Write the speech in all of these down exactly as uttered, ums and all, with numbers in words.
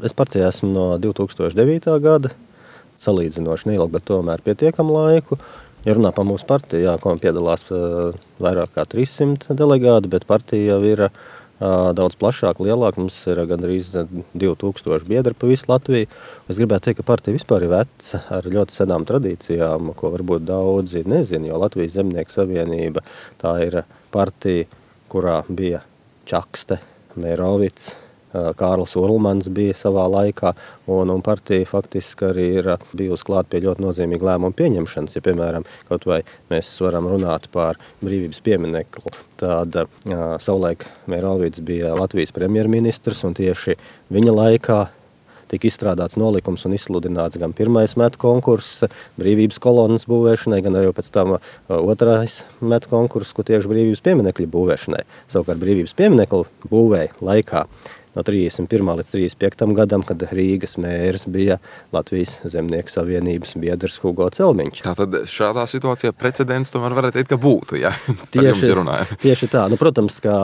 Es partijā esmu no divi tūkstoši devītā gada, salīdzinoši neilgi, bet tomēr pietiekam laiku. Ja runā par mūsu partiju, jā, ko piedalās vairāk kā trīssimt delegāti, bet partija jau ir daudz plašāk, lielāk. Mums ir gandrīz divi tūkstoši biedri pa visu Latviju. Es gribētu teikt, ka partija vispār ir veca ar ļoti senām tradīcijām, ko varbūt daudzi nezina, jo Latvijas Zemnieku savienība tā ir partija, kurā bija Čakste, Mērovics, Kārlis Urlmans bija savā laikā, un, un partija faktiski arī ir bijusi klāt pie ļoti nozīmīga lēmuma pieņemšanas. Ja, piemēram, kaut vai mēs varam runāt par brīvības pieminekli, tad uh, savulaik Mērovics bija Latvijas premjerministrs, un tieši viņa laikā tika izstrādāts nolikums un izsludināts gan pirmais metu konkurss brīvības kolonas būvēšanai, gan arī pēc tam otrais metu konkurss, ko tieši brīvības pieminekļu būvēšanai. Savukārt brīvības pieminekļu būvēja laikā no trīsdesmit pirmā līdz trīsdesmit piektam gadam, kad Rīgas mērs bija Latvijas Zemnieku savienības biedrs Hugo Celmiņš. Tātad šādā situācijā precedents tomēr varētu teikt, ka būtu, ja? Tieši, tieši tā. Nu, protams, ka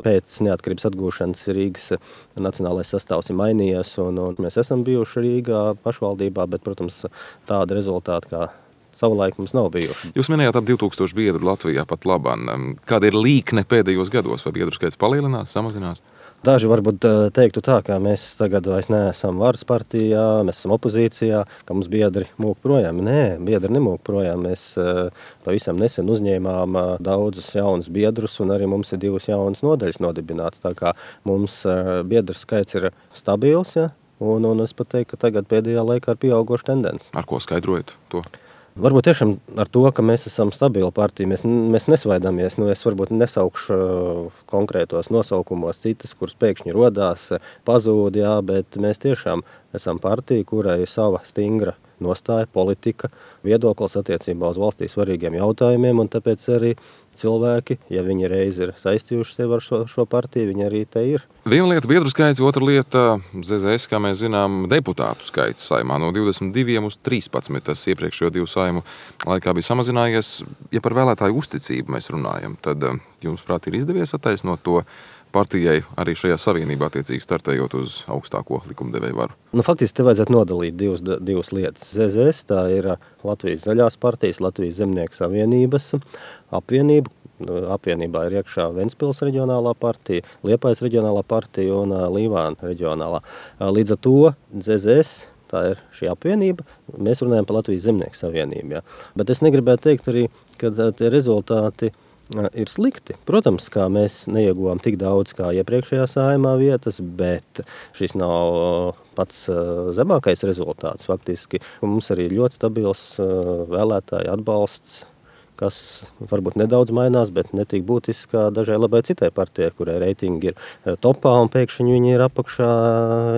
pēc neatkarības atgūšanas Rīgas nacionālais sastāvs ir mainījies, un, un mēs esam bijuši Rīgā pašvaldībā, bet, protams, tāda rezultāta, kā savulaik mums nav bijuši. Jūs minējāt ap divi tūkstoši biedru Latvijā pat labam. Kāda ir līkne pēdējos gados? Vai biedru skaits palielinās, samazinās? Daži varbūt teiktu tā, ka mēs tagad vairs neesam varas partijā, mēs esam opozīcijā, ka mums biedri mūk projām. Nē, biedri nemūk projām. Mēs pavisam nesen uzņēmām daudzus jaunus biedrus, un arī mums ir divas jaunas nodaļas nodibināts. Tā kā mums biedru skaits ir stabils, ja? un, un es pat teiktu, ka tagad pēdējā laikā ir pieaugoša tendence. Ar ko skaidrojat to? Varbūt tiešām ar to, ka mēs esam stabila partija, mēs, mēs nesvaidamies. Nu, es varbūt nesaukšu konkrētos nosaukumos citas, kuras pēkšņi rodās, pazūd, jā, bet mēs tiešām esam partija, kurai ir sava stingra nostāja, politika, viedoklis attiecībā uz valstī svarīgiem jautājumiem, un tāpēc arī cilvēki, ja viņi reiz ir saistījuši sevi ar šo, šo partiju, viņi arī te ir. Viena lieta biedru skaits, otra lieta Z Z S, kā mēs zinām, deputātu skaits saimā no divdesmit diviem uz trīspadsmit. Tas iepriekšējo divu saimu laikā bija samazinājies. Ja par vēlētāju uzticību mēs runājam, tad jums, prāt, ir izdevies attaisnot to partijai arī šajā savienībā attiecīgi startējot uz augstāko likumdevēju varu? Nu, faktiski te vajadzētu nodalīt divas, divas lietas. Z Z S tā ir Latvijas zaļās partijas, Latvijas Zemnieku savienības apvienība. Apvienībā ir iekšā Ventspils reģionālā partija, Liepājas reģionālā partija un Līvāna reģionālā. Līdz ar to Z Z S tā ir šī apvienība. Mēs runājam par Latvijas Zemnieku savienību. Jā. Bet es negribētu teikt arī, ka tie rezultāti ir slikti. Protams, kā mēs neieguvām tik daudz kā iepriekšējā saimā vietas, bet šis nav pats zemākais rezultāts. Faktiski mums arī ļoti stabils vēlētāju atbalsts, kas varbūt nedaudz mainās, bet netik būtiski kā dažai labai citai partijai, kurai reitingi ir topā un pēkšņi viņi ir apakšā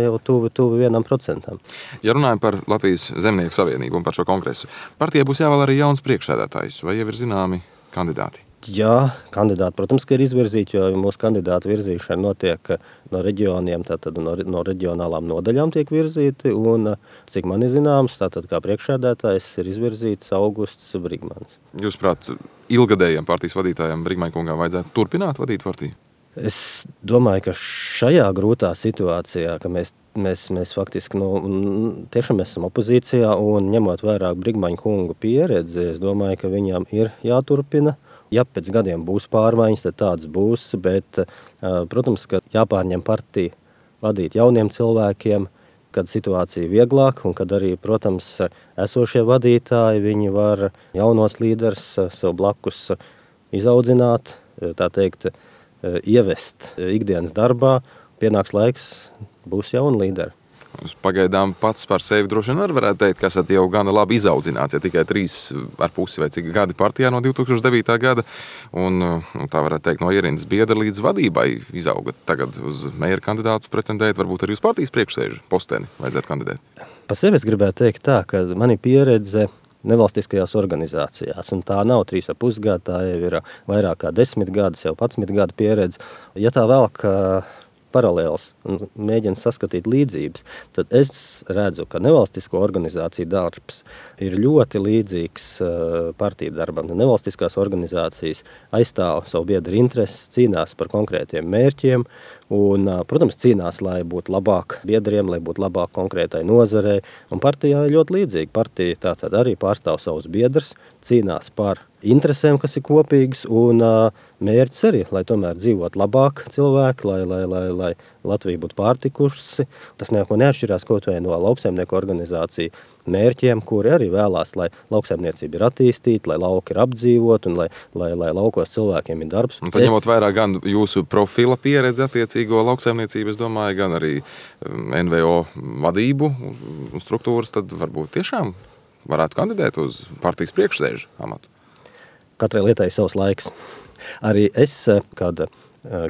jau tuvi, tuvi vienam procentam. Ja runājam par Latvijas Zemnieku savienību un par šo kongresu, partijai būs jāvēl arī jauns priekšsēdētājs, vai jau ir zināmi kandidāti? Jā, kandidāti, protams, ka ir izvirzīti, jo mūsu kandidātu virzīšana notiek no reģioniem, tātad no, no reģionālām nodaļām tiek virzīti, un, cik man ir zināms, tātad kā priekšsēdētājs ir izvirzīts Augusts Brigmanis. Jūs, prāt, ilgadējiem partijas vadītājiem Brigmaņkungam vajadzētu turpināt vadīt partiju? Es domāju, ka šajā grūtā situācijā, ka mēs, mēs, mēs faktiski nu, tiešām esam opozīcijā un ņemot vērā Brigmaņkunga pieredzi, es domāju, ka viņam ir jāturpina. Ja pēc gadiem būs pārmaiņas, tad tāds būs, bet, protams, ka jāpārņem partiju vadīt jauniem cilvēkiem, kad situācija ir vieglāk un kad arī, protams, esošie vadītāji, viņi var jaunos līderus sev blakus izaudzināt, tā teikt, ievest ikdienas darbā. Pienāks laiks, būs jauni līderi. Jūs pagaidām pats par sevi droši vien varētu teikt, ka esat jau gana labi izaudzināts, ja tikai trīs ar pusi vai cik gadi partijā no divi tūkstoši devītā gada, un tā varētu teikt no ierindas biedra līdz vadībai izaugat. Tagad uz mēra kandidātus pretendēt, varbūt arī uz partijas priekšsēžu posteni vajadzētu kandidēt. Pa sevi es gribētu teikt tā, ka man ir pieredze nevalstiskajās organizācijās, un tā nav trīs ar pusgadu, tā jau ir vairāk kā desmit gadus, jau padsmit gadu pieredze. Ja tā velk paralēls un mēģina saskatīt līdzības, tad es redzu, ka nevalstisko organizāciju darbs ir ļoti līdzīgs partiju darbam. Nevalstiskās organizācijas aizstāv savu biedru intereses, cīnās par konkrētiem mērķiem, Un, protams, cīnās, lai būtu labāk biedriem, lai būtu labāk konkrētai nozarei. Un partijā ir ļoti līdzīgi. Partija tātad arī pārstāv savus biedrus, cīnās par interesēm, kas ir kopīgas, un mērķis arī, lai tomēr dzīvot labāk cilvēki, lai, lai, lai, lai Latvija būtu pārtikusi. Tas neko neatšķirās kaut vai no lauksaimnieku organizāciju mērķiem, kuri arī vēlās, lai lauksaimniecība ir attīstīta, lai lauki ir apdzīvot un lai, lai, lai laukos cilvēkiem ir darbs. Un tad ņemot vērā gan jūsu profila pieredzi attiecīgo lauksaimniecību, es domāju, gan arī N V O vadību un struktūras, tad varbūt tiešām varētu kandidēt uz partijas priekšsēžu amatu. Katrai lietai ir savs laiks. Arī es, kad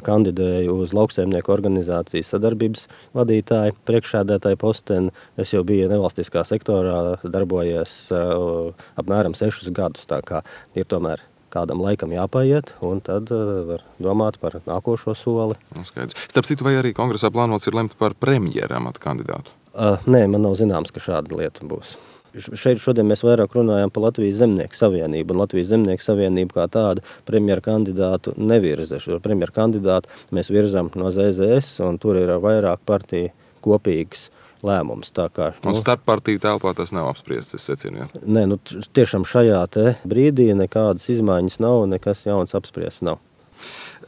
kandidēju uz lauksaimnieku organizācijas sadarbības vadītāju, priekšsēdētāju posteni, es jau biju nevalstiskā sektorā, darbojies apmēram sešus gadus, tā kā ir tomēr kādam laikam jāpaiet, un tad var domāt par nākošo soli. Skaidrs. Starp citu, vai arī kongresā plānots ir lemt par premjera amata kandidātu? Uh, nē, man nav zināms, ka šāda lieta būs. Šeit šodien mēs vairāk runājam par Latvijas Zemnieku savienību, un Latvijas Zemnieku savienību kā tādu premjera kandidātu nevirza. Šo premjera kandidātu mēs virzam no Z Z S, un tur ir vairāk partiju kopīgs lēmums. Tā kā, nu, un starp partiju telpā tas nav apspriests, es secinu, ja? Nē, nu tiešām šajā te brīdī nekādas izmaiņas nav, nekas jauns apspriests nav.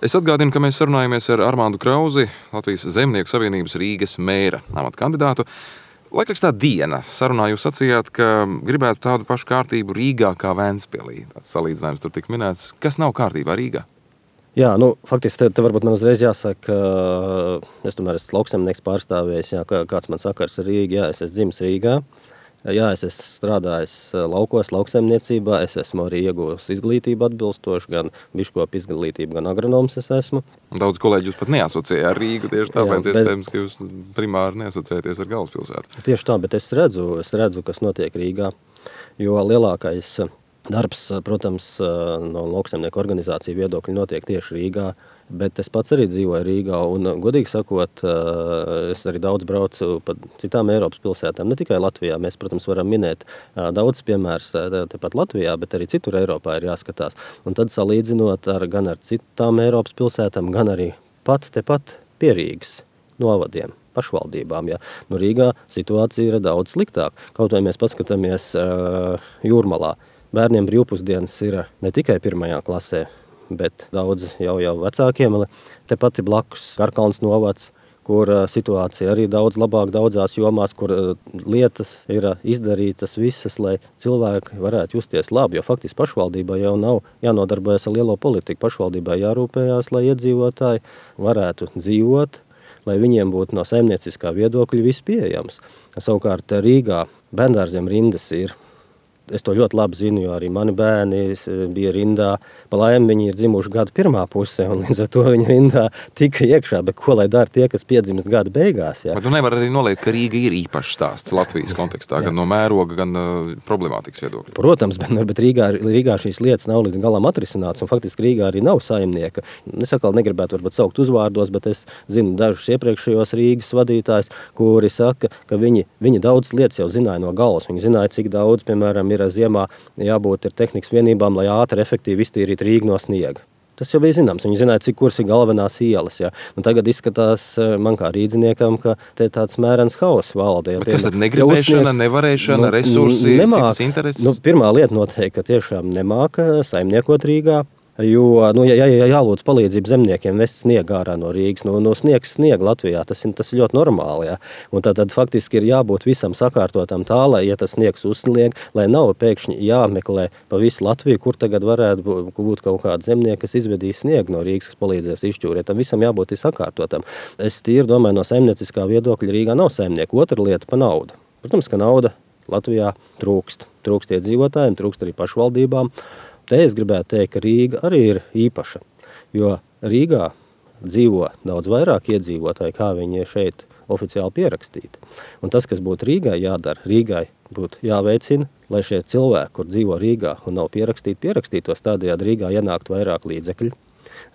Es atgādinu, ka mēs sarunājamies ar Armāndu Krauzi, Latvijas Zemnieku savienības Rīgas mēra amata kandidātu. Laikrakstā Diena sarunā jūs sacījāt, ka gribētu tādu pašu kārtību Rīgā kā Ventspilī. Tāds salīdzinājums tur tik minēts. Kas nav kārtībā Rīgā? Jā, nu, faktiski te, te varbūt man uzreiz jāsaka, es tomēr esmu lauksaimnieks pārstāvējis, jā, kāds man sakars ar Rīgu, jā, es esmu dzimis Rīgā. Jā, es esmu strādājis laukos, lauksaimniecībā, es esmu arī iegūs izglītību atbilstoši, gan biškopu izglītību, gan agronoms es esmu. Daudz kolēģi jūs pat neasociēja ar Rīgu, tieši tāpēc, jā, bet, iespējams, ka jūs primāri neasociēties ar galvaspilsētu. Tieši tā, bet es redzu, es redzu, kas notiek Rīgā, jo lielākais darbs, protams, no lauksaimnieku organizāciju viedokļa notiek tieši Rīgā, bet es pats arī dzīvoju Rīgā, un, godīgi sakot, es arī daudz braucu pa citām Eiropas pilsētām, ne tikai Latvijā. Mēs, protams, varam minēt daudz piemērs tepat Latvijā, bet arī citur Eiropā ir jāskatās. Un tad salīdzinot ar, gan ar citām Eiropas pilsētām, gan arī pat tepat pie Rīgas novadiem, pašvaldībām. Ja. Nu, Rīgā situācija ir daudz sliktāk. Kaut vai mēs paskatāmies uh, Jūrmalā. Bērniem brīvpusdienas ir ne tikai pirmajā klasē, bet daudz jau, jau vecākiem. Tepat ir blakus Karkalns novads, kur situācija arī daudz labāk daudzās jomās, kur lietas ir izdarītas visas, lai cilvēki varētu justies labi. Jo faktiski pašvaldībā jau nav jānodarbojas ar lielo politiku. Pašvaldībā jārūpējās, lai iedzīvotāji varētu dzīvot, lai viņiem būtu no saimnieciskā viedokļa viss pieejams. Savukārt Rīgā bērndārziem rindas ir. Es to ļoti labi zinu, jo arī mani bērni bija rindā. Pa laimi viņi ir dzimuši gada pirmā pusē, un līdz ar to viņi rindā tika iekšā. Bet ko lai dara tie, kas piedzimst gada beigās? Jā? Bet tu nevar arī noliekt, ka Rīga ir īpašs stāsts Latvijas kontekstā, gan no mēroga, gan uh, problemātikas viedokļa. Protams, bet, bet Rīgā, Rīgā šīs lietas nav līdz galam atrisināts, un faktiski Rīgā arī nav saimnieka. Es atkal negribētu varbūt saukt uzvārdos, bet es zinu dažus iepriekšējos Rīgas vadītājus, kuri saka, ka viņi, viņi daudz lietas jau zināja no galvas. Viņi zināja, cik daudz, piemēram, ir ziemā jābūt ir tehnikas vienībām, lai ātri efektīvi iztīrīt Rīgu no sniega. Tas jau bija zināms. Viņi zināja, cik kuras ir galvenās ielas. Ja. Un tagad izskatās man kā rīdziniekam, ka te tāds mērens hauss valda. Ja. Bet kas tad negribēšana, nevarēšana, nu, resursi, nemāk, citas intereses? Nu, pirmā lieta noteikti, ka tiešām nemāka saimniekot Rīgā. Jo, nu, ja, ja jālūdz palīdzību zemniekiem vest sniegu ārā no Rīgas, no, no sniegs sniega Latvijā, tas ir, tas ir ļoti normāli. Ja. Un tad, tad faktiski ir jābūt visam sakārtotam tā, lai, ja tas sniegs uzsnieg, lai nav pēkšņi jāmeklē pa visu Latviju, kur tagad varētu būt kaut kāda zemnieka, kas izvedīs sniegu no Rīgas, kas palīdzēs izšķūrēt. Tam visam jābūt sakārtotam. Es tīri domāju, no saimnieciskā viedokļa Rīgā nav saimnieku. Otra lieta pa naudu. Protams, ka nauda Latvijā trūkst. Trūkst iedzīvotājiem, trūkst arī pašvaldībām. Te es gribētu teikt, ka Rīga arī ir īpaša, jo Rīgā dzīvo daudz vairāk iedzīvotāji, kā viņi ir šeit oficiāli pierakstīti. Un tas, kas būtu Rīgai jādara, Rīgai būtu jāveicina, lai šie cilvēki, kur dzīvo Rīgā un nav pierakstīti, pierakstītos tādējādi Rīgā ienākt vairāk līdzekļu.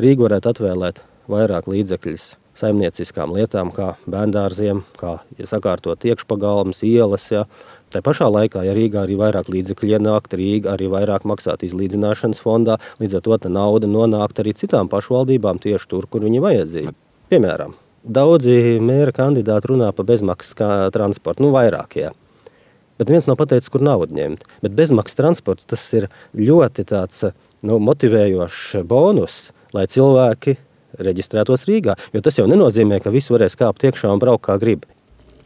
Rīga varētu atvēlēt vairāk līdzekļus saimnieciskām lietām, kā bērndārziem, kā sakārtot iekšpagalmas, ielas, ja. Tā pašā laikā, ja Rīgā arī vairāk līdzekļu ienākt, Rīga arī vairāk maksāt izlīdzināšanas fondā, līdz ar to tā nauda nonākt arī citām pašvaldībām tieši tur, kur viņi vajadzīga. Piemēram, Daudzi mēra kandidāti runā par bezmaksas transportu, nu vairāk, jā. Bet viens nav pateicis, kur naudu ņemt. Bet bezmaksas transports, tas ir ļoti tāds nu, motivējošs bonus, lai cilvēki reģistrētos Rīgā. Jo tas jau nenozīmē, ka visi varēs kāpt iekšā un braukt kā grib.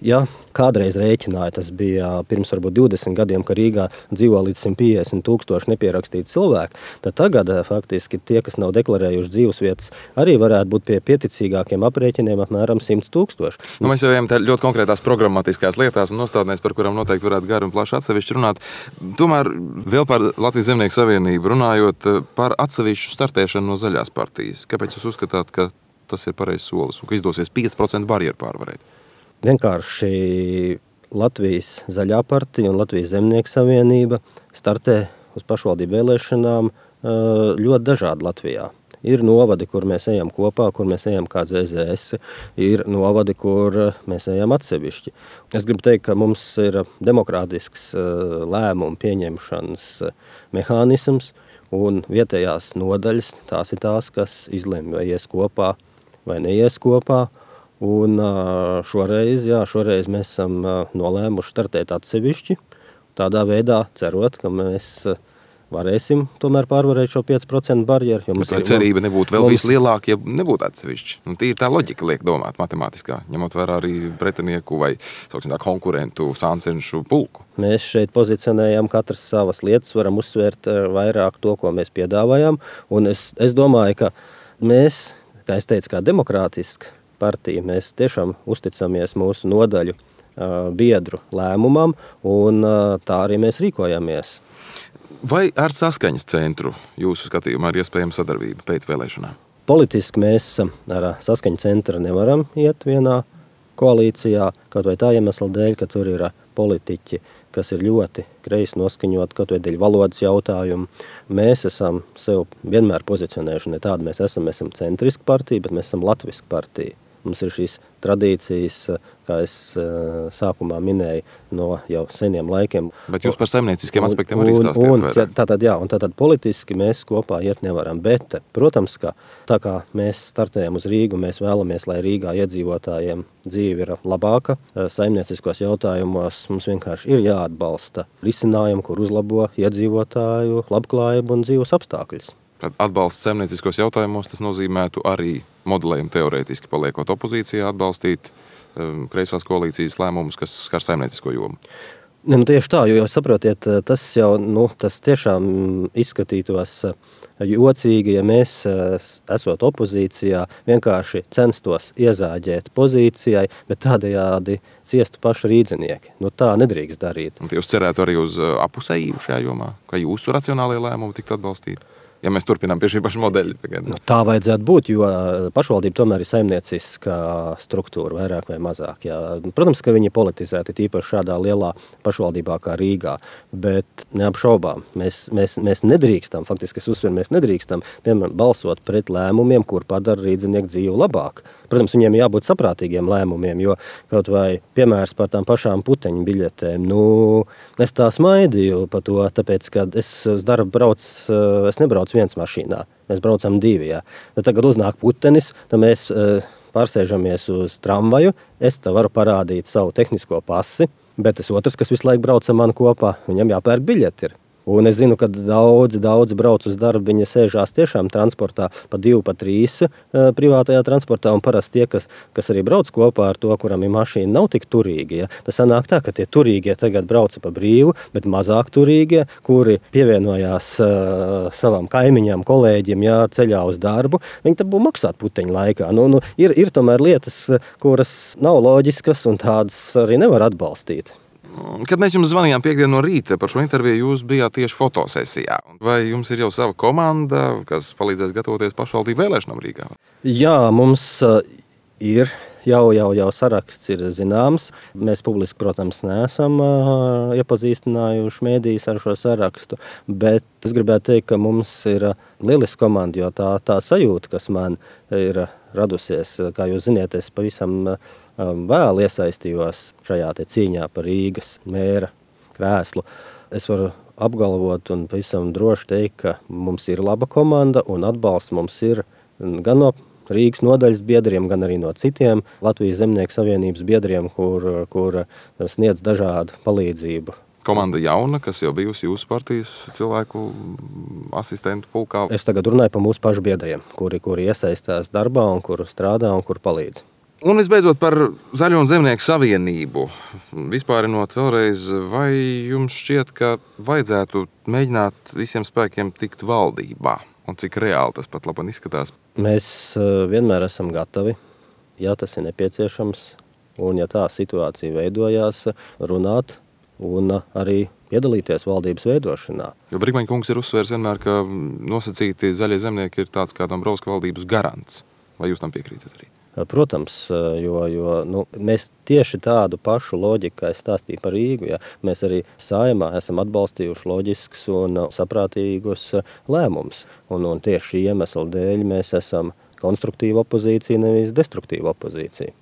Ja kādreiz rēķināja, tas bija pirms varbūt divdesmit gadiem, ka Rīgā dzīvo līdz simt piecdesmit tūkstoši nepierakstīti cilvēki, tad tagad faktiski tie, kas nav deklarējuši dzīvesvietas, arī varētu būt pie pieticīgākiem aprēķiniem apmēram simt tūkstoši. Nu, mēs jau ejam ļoti konkrētās programmatiskās lietās un nostādnēs, par kurām noteikti varētu gari un plaši atsevišķi runāt. Tomēr vēl par Latvijas Zemnieku savienību runājot par atsevišķu startēšanu no Zaļās partijas. Kāpēc jūs uzskatāt, ka tas ir pareizs solis un ka izdosies pieci procenti barjeru pārvarēt? Vienkārši Latvijas Zaļā partija un Latvijas Zemnieku savienība startē uz pašvaldību vēlēšanām ļoti dažādi Latvijā. Ir novadi, kur mēs ejam kopā, kur mēs ejam kā Z Z S, ir novadi, kur mēs ejam atsevišķi. Es gribu teikt, ka mums ir demokrātisks lēmumu pieņemšanas mehānisms, un vietējās nodaļas tās ir tās, kas izlemj, vai ies kopā vai neies kopā. Un šoreiz, jā, šoreiz mēs esam nolēmuši startēt atsevišķi, tādā veidā cerot, ka mēs varēsim tomēr pārvarēt šo pieci procenti barjeru. Bet vai cerība nebūtu vēl mums... vislielāka, ja nebūtu atsevišķi? Nu, tī ir tā loģika, liek domāt matemātiskā, ņemot vērā arī pretinieku vai sauksim tā, konkurentu sāncenšu pulku. Mēs šeit pozicionējam katras savas lietas, varam uzsvērt vairāk to, ko mēs piedāvājam. Un es, es domāju, ka mēs, kā es teicu, kā demokrātiski partija, mēs tiešām uzticamies mūsu nodaļu uh, biedru lēmumam, un uh, tā arī mēs rīkojamies. Vai ar saskaņas centru jūsu skatījumā ir iespējama sadarbība pēc vēlēšanām? Politiski mēs ar saskaņas centru nevaram iet vienā koalīcijā, kaut vai tā iemesla dēļ, ka tur ir politiķi, kas ir ļoti kreisi noskaņot, kaut vai dēļ valodas jautājumu. Mēs esam sev vienmēr pozicionējuši ne tādu, mēs esam, mēs esam centriska partija, bet mēs esam latviska partija. Mums ir šīs tradīcijas, kā es sākumā minēju, no jau seniem laikiem. Bet jūs par saimnieciskiem aspektiem arī stāstījāt vairāk. Tātad, jā, un tātad politiski mēs kopā iet nevaram. Bet, protams, ka tā kā mēs startējam uz Rīgu, mēs vēlamies, lai Rīgā iedzīvotājiem dzīve ir labāka. Saimnieciskos jautājumos mums vienkārši ir jāatbalsta risinājumi, kur uzlabo iedzīvotāju labklājību un dzīves apstākļus. Tad atbalsts saimnieciskos jautājumos, tas nozīmētu arī modelējumu teorētiski paliekot opozīcijā atbalstīt um, kreisās koalīcijas lēmumus, kas skar saimniecisko jomu. Ne, nu tieši tā, jo saprotiet, tas jau nu, tas tiešām izskatītos jocīgi, ja mēs, esot opozīcijā, vienkārši censtos iezāģēt pozīcijai, bet tādējādi ciestu paši rīdzinieki. Nu, tā nedrīkst darīt. Un jūs cerētu arī uz apusējību šajā jomā, ka jūsu racionālie lēmumi tiktu atbalstīti? Ja mēs turpinām pie šī paša modeļa. Nu, tā vajadzētu būt, jo pašvaldība tomēr ir saimnieciska struktūra, vairāk vai mazāk. Jā. Protams, ka viņi ir politizēti, tīpaši šādā lielā pašvaldībā kā Rīgā, bet neapšaubām. Mēs, mēs, mēs nedrīkstam, faktiski es uzsveru, mēs nedrīkstam, piemēram, balsot pret lēmumiem, kur padara rīdzinieku dzīvi labāk. Protams, viņiem jābūt saprātīgiem lēmumiem, jo kaut vai piemērs par tām pašām puteņu biļetēm. Nu, es tā smaidīju par to, tāpēc, ka es uz darbu braucu, es nebraucu viens mašīnā, mēs braucam divi. Jā. Tad tagad uznāk putenis, tad mēs pārsēžamies uz tramvaju, es te varu parādīt savu tehnisko pasi, bet tas otrs, kas visu laiku brauc ar mani kopā, viņam jāpērk biļeti ir. Un es zinu, ka daudzi, daudzi brauc uz darbu, viņi sēžās tiešām transportā pa divu, pa trīs privātajā transportā, un parasti tie, kas, kas arī brauc kopā ar to, kuram ir mašīna, nav tik turīgi. Ja? Tas sanāk tā, ka tie turīgie tagad brauca pa brīvu, bet mazāk turīgie, kuri pievienojās uh, savam kaimiņam, kolēģim, ja, ceļā uz darbu, viņi tad būtu maksāt puteņu laikā. Nu, nu, ir, ir tomēr lietas, kuras nav loģiskas, un tādas arī nevar atbalstīt. Kad mēs jums zvanījām piekdien no rīta par šo interviju, jūs bijāt tieši fotosesijā. Vai jums ir jau sava komanda, kas palīdzēs gatavoties pašvaldību vēlēšanām Rīgā? Jā, mums uh, ir jau, jau, jau saraksts ir zināms. Mēs publiski, protams, neesam uh, iepazīstinājuši mēdījus ar šo sarakstu, bet es gribētu teikt, ka mums ir lieliska komanda, jo tā, tā sajūta, kas man ir radusies, kā jūs ziniet, es pavisam vēl iesaistījos šajā te cīņā par Rīgas mēra krēslu. Es varu apgalvot un pavisam droši teikt, ka mums ir laba komanda un atbalsts mums ir gan no Rīgas nodaļas biedriem, gan arī no citiem Latvijas Zemnieku savienības biedriem, kur, kur sniedz dažādu palīdzību. Komanda jauna, kas jau bijusi jūsu partijas cilvēku asistentu pulkā. Es tagad runāju par mūsu pašu biedriem, kuri, kuri iesaistās darbā un kuri strādā un kuri palīdz. Un visbeidzot par Zaļo un Zemnieku savienību. Vispārinot vēlreiz, vai jums šķiet, ka vajadzētu mēģināt visiem spēkiem tikt valdībā? Un cik reāli tas pat labāk izskatās? Mēs vienmēr esam gatavi, ja tas ir nepieciešams, un ja tā situācija veidojās, runāt un arī piedalīties valdības veidošanā. Jo Brigmaņa kungs ir uzsvērs vienmēr, ka nosacīti zaļie zemnieki ir tāds kā Dombrovska valdības garants. Vai jūs tam piekrītat arī? Protams, jo, jo nu, mēs tieši tādu pašu loģiku, kā es stāstīju par Rīgu, ja, mēs arī Saeimā esam atbalstījuši loģiskus un saprātīgus lēmumus. Un, un tieši šī iemesla dēļ mēs esam konstruktīva opozīcija, nevis destruktīva opozīcija.